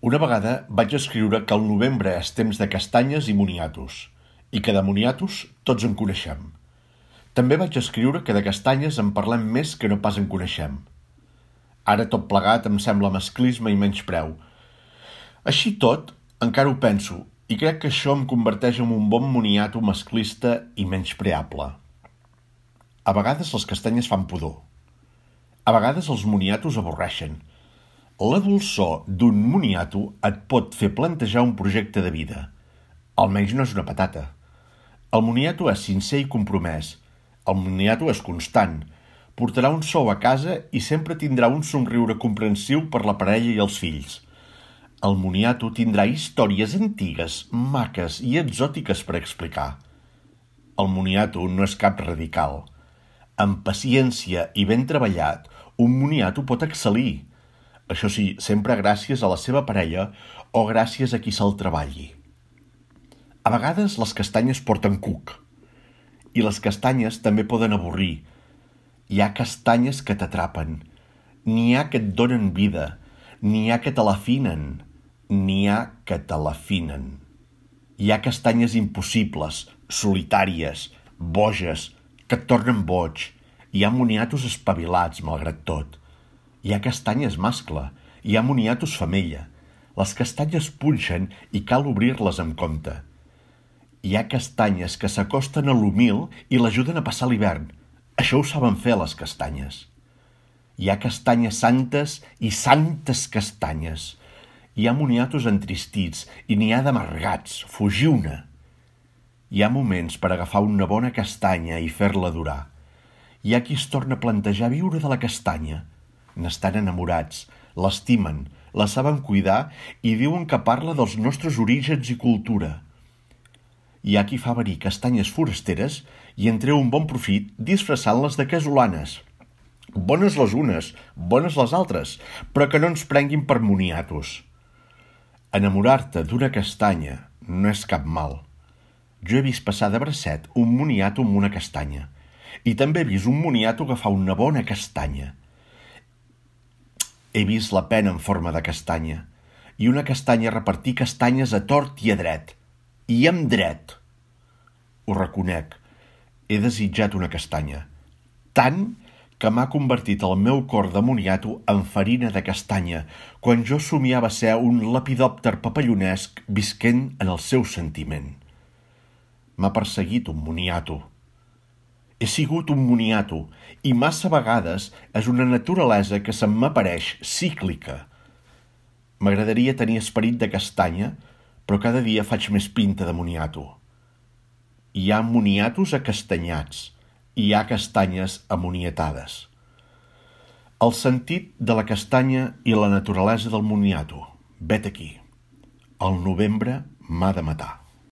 Una vegada vaig escriure que el novembre és temps de castanyes i moniatos, i que de moniatos tots en coneixem. També vaig escriure que de castanyes en parlem més que no pas en coneixem. Ara tot plegat em sembla masclisme i menyspreu. Així tot, encara ho penso, i crec que això em converteix en un bon moniato masclista i menyspreable. A vegades les castanyes fan pudor. A vegades els moniatos avorreixen. La dolçor d'un moniato et pot fer plantejar un projecte de vida. Almenys no és una patata. El moniato és sincer i compromès. El moniato és constant. Portarà un sou a casa i sempre tindrà un somriure comprensiu per la parella i els fills. El moniato tindrà històries antigues, maques i exòtiques per explicar. El moniato no és cap radical. Amb paciència i ben treballat, un moniato pot excel·lir. Això sí, sempre gràcies a la seva parella o gràcies a qui se'l treballi. A vegades les castanyes porten cuc. I les castanyes també poden avorrir. Hi ha castanyes que t'atrapen. N'hi ha que et donen vida. N'hi ha que te l'afinen. N'hi ha que te l'afinen. Hi ha castanyes impossibles, solitàries, boges, que et tornen boig. Hi ha moniatos espavilats, malgrat tot. Hi ha castanyes mascle, hi ha moniatos femella. Les castanyes punxen i cal obrir-les amb compte. Hi ha castanyes que s'acosten a l'humil i l'ajuden a passar l'hivern. Això ho saben fer les castanyes. Hi ha castanyes santes i santes castanyes. Hi ha moniatos entristits i n'hi ha d'amargats. Fugiu-ne. Hi ha moments per agafar una bona castanya i fer-la durar. Hi ha qui es torna a plantejar viure de la castanya. N'estan enamorats, l'estimen, la saben cuidar i diuen que parla dels nostres orígens i cultura. Hi ha qui fa venir castanyes forasteres i en treu un bon profit disfressant-les de casolanes. Bones les unes, bones les altres, però que no ens prenguin per moniatos. Enamorar-te d'una castanya no és cap mal. Jo he vist passar de bracet un moniato amb una castanya i també he vist un moniato agafar una bona castanya. He vist la pena en forma de castanya i una castanya repartir castanyes a tort i a dret. I amb dret. Ho reconec, he desitjat una castanya, tant que m'ha convertit el meu cor de moniato en farina de castanya quan jo somiava ser un lepidòpter papallonesc visquent en el seu sentiment. M'ha perseguit un moniato. He sigut un moniato i massa vegades és una naturalesa que se'm m'apareix cíclica. M'agradaria tenir esperit de castanya, però cada dia faig més pinta de moniato. Hi ha moniatos acastanyats i hi ha castanyes amoniatades. El sentit de la castanya i la naturalesa del moniato. Vet aquí. El novembre m'ha de matar.